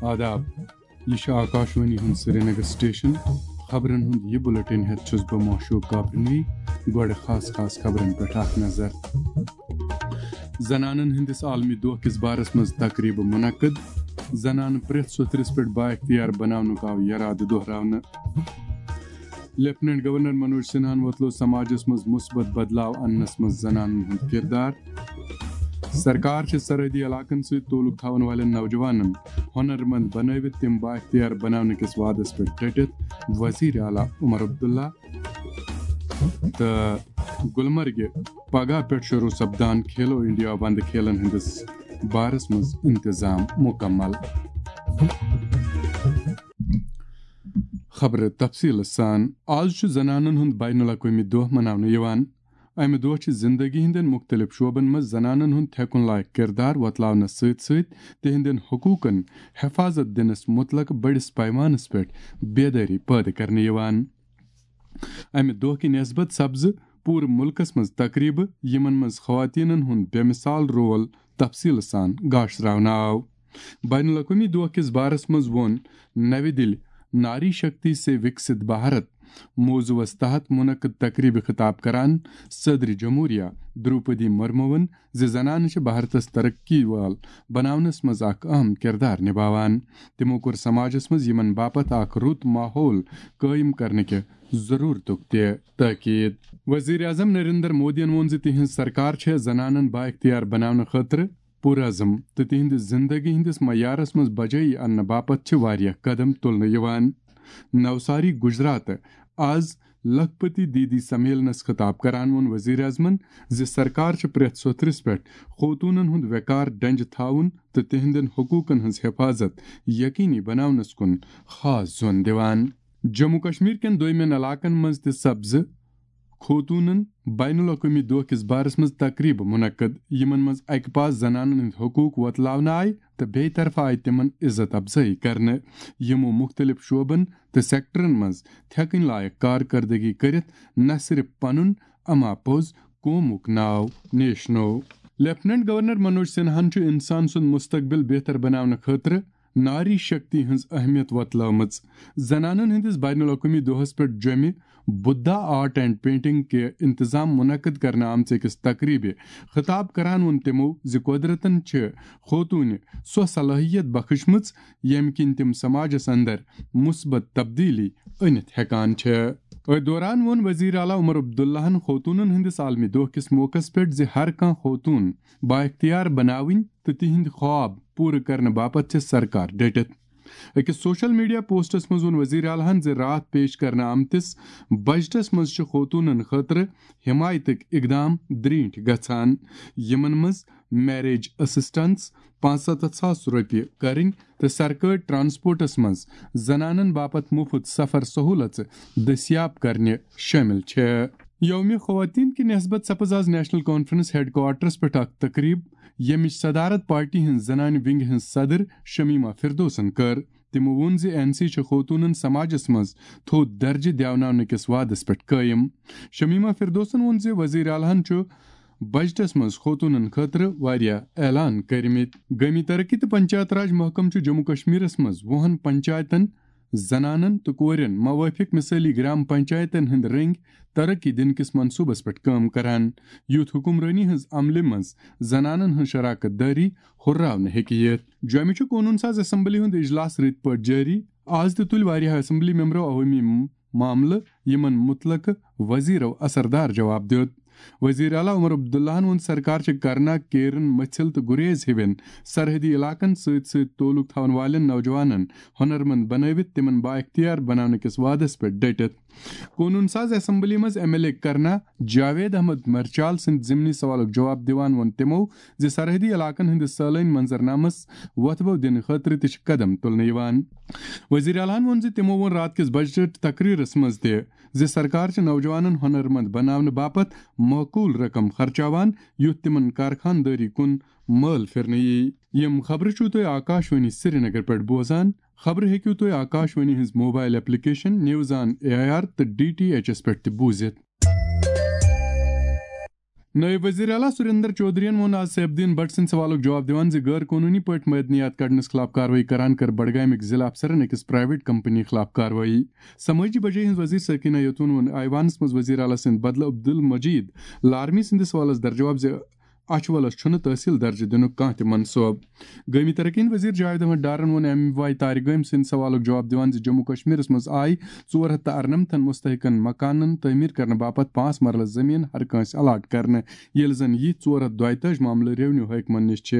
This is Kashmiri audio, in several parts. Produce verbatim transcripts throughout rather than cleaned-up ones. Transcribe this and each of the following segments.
آداب، یہِ چھُ آکاشوانی ہُنٛد سرینگر سٹیشن۔ خبرن ہُنٛد یہِ بُلٹن ہٮ۪تھ چھُس بہٕ معشوق کاپرنوی۔ گۄڈٕ خاص خاص خبرن پٮ۪ٹھ اکھ نظر۔ زنانن ہٕنٛدِس عالمی دۄہ کِس بارس منٛز تقریٖبہٕ منعقد۔ زنانہٕ پرٛٮ۪تھ سوٚتھرِس پٮ۪ٹھ بااختیار بناونُک آو یرادٕ دۄہراونہٕ۔ لیفٹیننٹ گورنر منوج سنہاہن وۄتلوو سماجس منٛز مثبت بدلاو اننس منٛز زنانن ہُنٛد کردار۔ سرکار چھِ سرحدی علاقن سۭتۍ تعلق تھاون والٮ۪ن نوجوانن ہنرمند بنٲوِتھ تِم بااختیار بناونہٕ کِس وعدس پٮ۪ٹھ ڈٔٹِتھ، وزیر اعلیٰ عمر عبداللہ۔ تہٕ گلمرگہِ پگاہ پٮ۪ٹھ شروع سپدان کھیلو انڈیا وندٕ کھیلن ہٕنٛدِس بارس منٛز انتظام مکمل۔ خبرٕ تفصیٖلہٕ سان۔ آز چھُ زنانن ہُنٛد بین الاقوٲمی دۄہ مناونہٕ یِوان۔ امہِ دۄہ چھِ زندگی ہٕنٛدٮ۪ن مُختٔلِف شعبن منٛز زنانن ہُنٛد تھٮ۪کُن لایق کردار وۄتلاونس سۭتۍ سۭتۍ تِہنٛدٮ۪ن حقوٗقن حفاظت دِنس مُتعلق بٔڑِس پیمانس پٮ۪ٹھ بیدٲری پٲدٕ کرنہٕ یِوان۔ امہِ دۄہ کہِ نسبت سپزٕ پوٗرٕ مُلکس منٛز تقریٖبہٕ، یِمن منٛز خواتیٖنن ہُنٛد بے مثال رول تفصیٖلہٕ سان گاشراونہٕ آو۔ بین الاقوٲمی دۄہ کِس بارس منٛز ووٚن نَوِ دِلہِ ناری شکتی سے وکست بھارت موضوعس تحت منعقد تقریبہِ خطاب کران صدر جمہوریہ دروپدی مرموون زِ زنانہٕ چھِ بھارتس ترقی وال بناونس منٛز اکھ اہم کردار نباوان۔ تِمو کوٚر سماجس منٛز یِمن باپتھ اکھ رُت ماحول قٲیِم کرنہٕ کہِ ضرورتُک تہِ تاکید۔ وزیر اعظم نریندر مودیَن ووٚن زِ تِہنٛز سرکار چھےٚ زنانن بااختیار بناونہٕ خٲطرٕ پُرعزم تہٕ تِہنٛدِ زندگی ہٕنٛدِس معیارس منٛز بجٲیی اننہٕ باپتھ چھِ واریاہ قدم تُلنہٕ یِوان۔ نوساری گجرات آز لکھپتی دیدی سمیلنس خطاب کران ووٚن وزیر اعظمن زِ سرکار چھِ پرٛٮ۪تھ سوٚتھرِس پٮ۪ٹھ خوتوٗنن ہُنٛد وقار ڈنجہِ تھاوُن تہٕ تِہنٛدٮ۪ن حقوٗقن ہٕنٛز حفاظت یقینی بناونس کُن خاص زون دِوان۔ جموں کشمیر کٮ۪ن دوٚیمٮ۪ن علاقن منٛز تہِ سپزٕ خوتوٗنن بین الاقوٲمی دۄہ کِس بارس منٛز تقریبہٕ منعقد، یِمن منٛز اکہِ پاس زنانن ہٕنٛدۍ حقوٗق وۄتلاونہٕ آیہِ تہٕ بیٚیہِ طرفہٕ آیہِ تِمن عزت افزٲیی کرنہٕ۔ یِمو مُختٔلِف شعبن تہٕ سیکٹرن منٛز تھٮ۪کٕنۍ لایق کارکردگی کٔرِتھ نہ صرف پنُن اما پوٚز قومُک ناو نیشنوو۔ لیفٹیننٹ گورنر منوج سنہاہن چھُ انسان سُنٛد مستقبل بہتر بناونہٕ خٲطرٕ ناری شکتی ہٕنٛز اہمیت وۄتلٲومٕژ۔ زنانن ہٕنٛدِس بین الاقوٲمی دۄہس پٮ۪ٹھ جوٚمہِ بدھا آرٹ اینڈ پینٹنگ کہِ انتظام منعقد کرنہٕ آمژِ أکِس تقریبہِ خطاب کران ووٚن تِمو زِ قۄدرتن چھِ خوتوٗنہِ سۄ صلٲحیت بخشمٕژ، ییٚمہِ کِنۍ تِم سماجس اندر مثبت تبدیلی أنِتھ ہٮ۪کان چھِ۔ أتھۍ دوران ووٚن وزیر اعلیٰ عمر عبداللہن خوتوٗنن ہٕنٛدِس عالمی دۄہ کِس موقعس پٮ۪ٹھ زِ ہر کانٛہہ خوتوٗن بااختیار بناوٕنۍ تہٕ تِہنٛدۍ خواب پوٗرٕ کرنہٕ باپتھ چھِ سرکار ڈٔٹِتھ۔ أکِس سوشل میڈیا پوسٹس منٛز ووٚن وزیر اعلیٰ ہن زِ راتھ پیش کرنہٕ آمتِس بجٹس منٛز چھِ خوتوٗنن خٲطرٕ حمایتٕکۍ اقدام درینٹھۍ گژھان، یِمن منٛز میریج اسسٹنس، پانٛژستتھ ساس رۄپیہِ کرٕنۍ تہٕ سرکٲرۍ ٹرانسپورٹس منٛز زنانن باپتھ مُفت سفر سہولژٕ دٔستیاب کرنہِ شٲمِل چھِ۔ یوم خواتین کہِ نسبت سپز آز نیشنل کانفرنس ہیڈ کوارٹرس پٮ۪ٹھ اکھ تقریب، ییٚمِچ صدارت پارٹی ہٕنٛز زنانہِ ونگہِ ہٕنٛز صدر شمیمہ فردوسن کٔر۔ تِمو ووٚن زِ این سی چھِ خوتوٗنن سماجس منٛز تھوٚد درجہٕ دیوناونہٕ کِس وعدس پٮ۪ٹھ قٲیِم۔ شمیمہ فردوسن ووٚن زِ وزیر اعلیٰ ہن چھُ بجٹس منٛز خوتوٗنن خٲطرٕ واریاہ اعلان کٔرمٕتۍ۔ گٲمی ترقی تہٕ پنچایت راج محکمہٕ چھُ جموں کشمیرس منٛز وُہن پنچایتن، زنانن تہٕ کورٮ۪ن موٲفِق مثٲلی گرام پنچایتن ہٕنٛدۍ رٔنگۍ ترقی دِنہٕ کِس منصوبس پٮ۪ٹھ کٲم کران، یُتھ حکمرٲنی ہٕنٛز عملہِ منٛز زنانن ہٕنٛز شراکت دٲری ہُرراونہٕ ہیٚکہِ یِتھ۔ جوٚمہِ چھُ قونوٗن ساز اسمبلی ہُنٛد اجلاس رٕتۍ پٲٹھۍ جٲری۔ آز تہِ تُلۍ واریاہ اسمبلی ممبرو عوٲمی م-، معاملہٕ، یِمن مُتعلقہٕ وزیرو اثردار جواب دیُت۔ وزیر اعلیٰ عمر عبداللہن ووٚن، سرکار چھِ کرنا، کیرن، مٔژھِل تہٕ گریز ہِوٮ۪ن سرحدی علاقن سۭتۍ سۭتۍ تعلق تھاون والٮ۪ن نوجوانن ہنرمند بنٲوِتھ تِمن بااختیار بناونہٕ کِس وعدس پٮ۪ٹھ ڈٔٹِتھ۔ قونوٗن ساز اسمبلی منٛز ایم ایل اے کرنا جاوید احمد مرچال سٕنٛدِ ضمنی سوالُک جواب دِوان ووٚن تِمو زِ سرحدی علاقن ہٕنٛدِس سٲلٲنۍ منظرنامس وۄتھبو دِنہٕ خٲطرٕ تہِ چھِ قدم تُلنہٕ یِوان۔ وزیر اعلیٰ ہن ووٚن زِ تِمو ووٚن راتھ کِس بجٹ تقریرس منٛز تہِ زِ سرکار چھِ نوجوانن ہنرمند بناونہٕ باپتھ معقول رقم خرچاوان، یُتھ تِمن کارخانہٕ دٲری کُن مٲل پھرنہٕ یِیہِ۔ یِم خبرٕ چھِو تُہۍ آکاشوانی سرینگر پٮ۪ٹھ بوزان۔ خبرٕ ہیٚکِو تُہۍ آکاشوانی ہٕنٛز mobile application news on A I R تہٕ ڈی ٹی ایچ ایس پٮ۪ٹھ تہِ بوٗزِتھ۔ نٲیِب وزیر اعلیٰ سریندر چودھرین ووٚن آز سیف الدین بٹ سٕنٛدِ سوالُک جواب دِوان زِ غٲر قونوٗنی پٲٹھۍ معدنیات کڑنس خلاف کاروٲیی کران کٔر بڈگامٕکۍ ضلع افسرن أکِس پرائیویٹ کمپنی خلاف کاروٲیی۔ سمٲجی بجٲیی ہٕنٛز وزیر سکینہ یتون ووٚن ایوانس منٛز وزیر اعلیٰ سٕنٛدِ بدلہٕ عبدل مجید لارمی سٕنٛدِس سوالس درجواب زِ اچھولس چھُنہٕ تحصیل درجہٕ دِنُک کانٛہہ تہِ منصوبہٕ۔ گٲمی ترقی ہٕنٛدۍ وزیر جاوید احمد ڈارن ووٚن ایم واے طارق گٲمۍ سٕنٛدِ سوالُک جواب دِوان زِ جموں کشمیرس منٛز آیہِ ژور ہتھ تہٕ ارنمتن مستحقن مکانن تعمیٖر کرنہٕ باپتھ پانٛژھ مرلہٕ زٔمیٖن ہر کٲنٛسہِ الاٹ کرنہٕ، ییٚلہِ زن یِتھۍ ژور ہتھ دۄیتٲجۍ معاملہٕ ریونیو حٲکمن نِش چھِ۔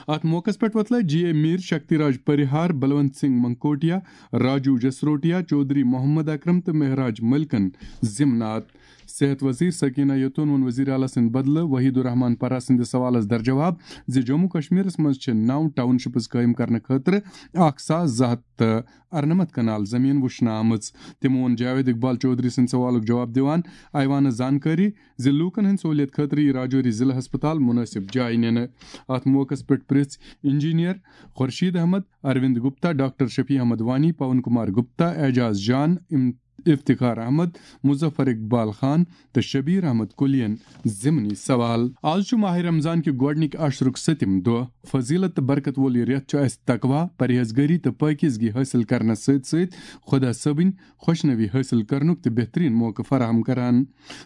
اتھ موقعس پٮ۪ٹھ وۄتلٲے جی اے میر، شکتی راج پریہار، بلونت سنگھ منکوٹیا، راجو جسروٹیا، چودھری محمد اکرم تہٕ مہراج ملکن ضمنات۔ صحت وزیر سکینہ یتون ووٚن وزیر اعلیٰ سٕنٛدِ بدلہٕ وحید الرحمان پرہ سٕنٛدِس سوالس درجواب زِ جموں کشمیرس منٛز چھِ نو ٹاؤن شپس قٲیِم کرنہٕ خٲطرٕ اکھ ساس زٕ ہتھ تہٕ ارنمتھ کنال زٔمیٖن وُچھنہٕ آمٕژ۔ تٔمۍ ووٚن جاوید اقبال چودھری سٕنٛدِ سوالُک جواب دِوان ایوانس زانکٲری زِ لوٗکن ہٕنٛدِ سہوٗلیت خٲطرٕ یہِ راجوری ضلعہٕ ہسپتال مناسب جایہِ نِنہٕ۔ اتھ موقعس پٮ۪ٹھ پرٛژھ انجینئر خورشید احمد، اروند گپتا، ڈاکٹر شفیع احمد وانی، پون کمار گپتا، اعجاز جان، ام-، افتخار احمد، مظفر اقبال خان تہٕ شبیر احمد کلین ضمنی سوال۔ آز چھُ ماہ رمضان کہِ گۄڈٕنِکۍ عشرُک سٔتِم دۄہ۔ فضیلت تہٕ برکت وول یہِ رٮ۪تھ چھُ اَسہِ تقویٰ، پرہیزگٲری تہٕ پٲکیزگی حٲصِل کرنس سۭتۍ سۭتۍ خۄدا صٲبٕنۍ خۄشنوی حٲصِل کرنُک تہِ بہتریٖن موقعہٕ فراہم کران۔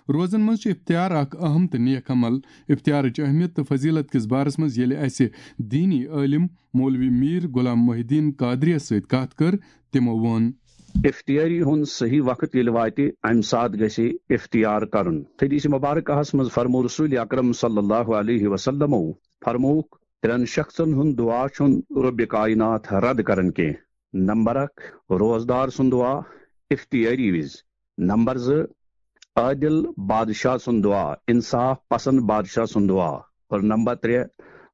روزن منٛز چھُ افطار اکھ اہم تہٕ نیک عمل۔ افطارٕچ اہمیت تہٕ فضیلت کِس بارس منٛز ییٚلہِ اَسہِ دینی عٲلم مولوی میر غلام محی الدین قادریَس سۭتۍ کتھ کٔر، تِمو ووٚن۔ افطاری ہُنٛد صحیح وقت ییٚلہِ واتہِ، اَمہِ ساتہٕ گژھِ افطار کرُن۔ حدیث مبارکہس منٛز فرموو رسول اکرم صلی اللہ علیہ وسلمو، فرمووُکھ، ترٛٮ۪ن شخصن ہُنٛد دعا چھُنہٕ رۄبِ کائنات رد کران کینٛہہ۔ نمبر اکھ، روزدار سُنٛد دعا افطاری وِزِ۔ نمبر زٕ، عادل بادشاہ سُنٛد دعا، انصاف پسند بادشاہ سُنٛد دعا۔ اور نمبر ترٛےٚ،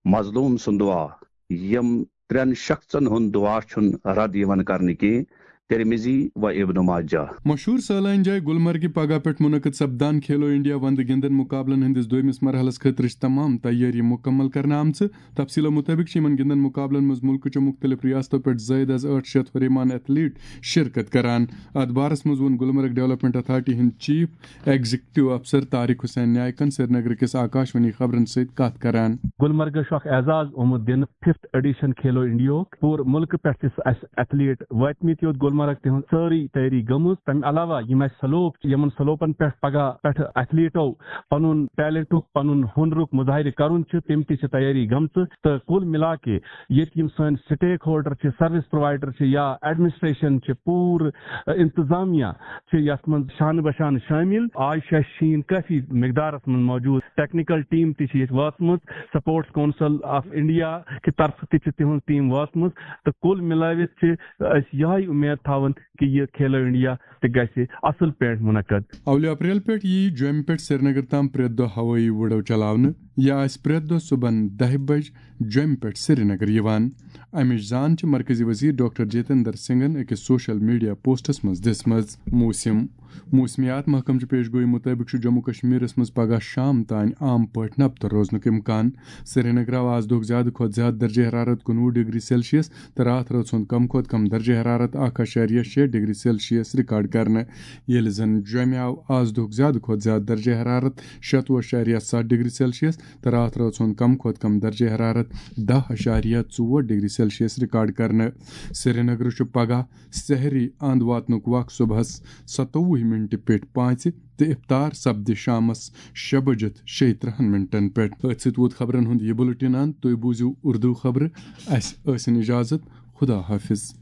مظلوم سُنٛد دعا۔ یِم ترٛٮ۪ن شخصن ہُنٛد دعا چھُنہٕ رد یِوان کرنہٕ کینٛہہ۔ ترمذی و ابن ماجہ۔ مشہوٗر سٲلٲنۍ جاے گلمرگہِ پگاہ پٮ۪ٹھ منعقد سپدان کھیلو انڈیا وندٕ گِنٛدن مقابلن ہٕنٛدِس دوٚیمِس مرحلس خٲطرٕ چھِ تمام تیٲری مکمل کرنہٕ آمژٕ۔ تفصیلو مُطٲبِق چھِ یِمَن گِنٛدَن مُقابلَن منٛز مُلکہٕ چہِ مُختٔلِف رِیاستو پٮ۪ٹھ زٲیِد از ٲٹھ شیٚتھ ہُریمان ایتھلیٹ شِرکت کران۔ اَتھ بارَس منٛز ووٚن گُلمرگ ڈیولپمنٹ اتھارٹی ہٕنٛدۍ چیف ایگزیکٹو افسر طارق حسین نائکَن سرینگرٕ کِس آکاشوانی خبرَن سۭتۍ کَتھ کران۔ گُلمرگَس چھُ اکھ اعزاز آمُت دِنہٕ ففتھ ایڈیشن کھیلو انڈیاہُک۔ پوٗرٕ مُلکہٕ پٮ۪ٹھ چھِ اَسہِ ایتھلیٹ وٲتمٕتۍ یوت گُلمرگ، تِہٕنٛز سٲرٕے تیٲری گٔمٕژ۔ تَمہِ علاوہ یِم اَسہِ سلوپ چھِ، یِمَن سلوپَن پٮ۪ٹھ پگاہ پٮ۪ٹھ ایتھلیٹو پنُن ٹیلنٹُک، پنُن ہُنرُک مظاہرٕ کرُن چھُ، تِم تہِ چھِ تیٲری گٔمژٕ۔ تہٕ کُل مِلا کے ییٚتہِ یِم سٲنۍ سٹیک ہولڈر چھِ، سروس پرووایڈر چھِ یا ایڈمنسٹریشن چھِ، پوٗرٕ، ا، انتظامیہ چھِ یتھ منٛز شانہٕ بہ شانہٕ شٲمِل۔ آز چھُ اَسہِ شیٖن کٲفی مقدارس منٛز موجود، ٹیکنیکل ٹیم تہِ چھِ ییٚتہِ وٲژمٕژ، سپورٹس کونسل آف انڈیا کہِ طرفہٕ تہِ چھِ تِہنٛز ٹیم وٲژمٕژ، تہٕ کُل مِلٲوِتھ چھِ أسۍ یِہے اُمید تھاوان کہِ یہِ کھیلو انڈیا تہِ گژھِ اصل پٲٹھۍ منعقد۔ اولہِ اپریل پٮ۪ٹھ یِیہِ جوٚمہِ پٮ۪ٹھ سرینگر تام پرٛٮ۪تھ دۄہ ہوٲیی وُڈو چلاونہٕ۔ یہِ آسہِ پرٛٮ۪تھ دۄہ صُبحن دَہہِ بجہِ جوٚمہِ پٮ۪ٹھ سرینگر یِوان۔ امِچ زان چھِ مرکزی وزیر ڈاکٹر جتیندر سنگھن أکِس سوشل میڈیا پوسٹس منٛز دِژمٕژ۔ موسم۔ موسمیات محکمہٕ چہِ پیش گویی مُطٲبِق چھُ جموں کشمیرس منٛز پگاہ شام تام عام پٲٹھۍ نبتہٕ روزنُک امکان۔ سرینگر آو آز دۄہُک زیادٕ کھۄتہٕ زیادٕ درجہ حرارت کُنوُہ ڈگری سیلسیس تہٕ راتھ رٲژ ہُنٛد کم کھۄتہٕ کم درجہ حرارت اکھ اعشاریہ شےٚ ڈگری سیلسیس ریکارڈ کرنہٕ، ییٚلہِ زن جوٚمہِ آو آز دۄہُک زیادٕ کھۄتہٕ زیادٕ درجہ حرارت شتوُہ اعشاریہ ستھ ڈگری سیلسیس تہٕ راتھ رٲژ ہُنٛد کم کھۄتہٕ کم درجہ حرارت دَہ اعشاریہ ژور ڈگری سیلسیس ریکارڈ کرنہٕ۔ سرینگرٕ چھُ پگاہ سحری اند واتنُک وق صبحس ستووُہ منٹہِ پٮ۪ٹھ پانٛژِ تہٕ افطار سپدِ شامس شےٚ بجِتھ شیٚیہِ ترٕہن منٹن پٮ۪ٹھ۔ أتھۍ سۭتۍ ووت خبرن ہُنٛد یہِ بُلٹن اند۔ تُہۍ بوٗزِو اردو خبرٕ۔ اسہِ ٲسِن اجازت۔ خدا حافظ۔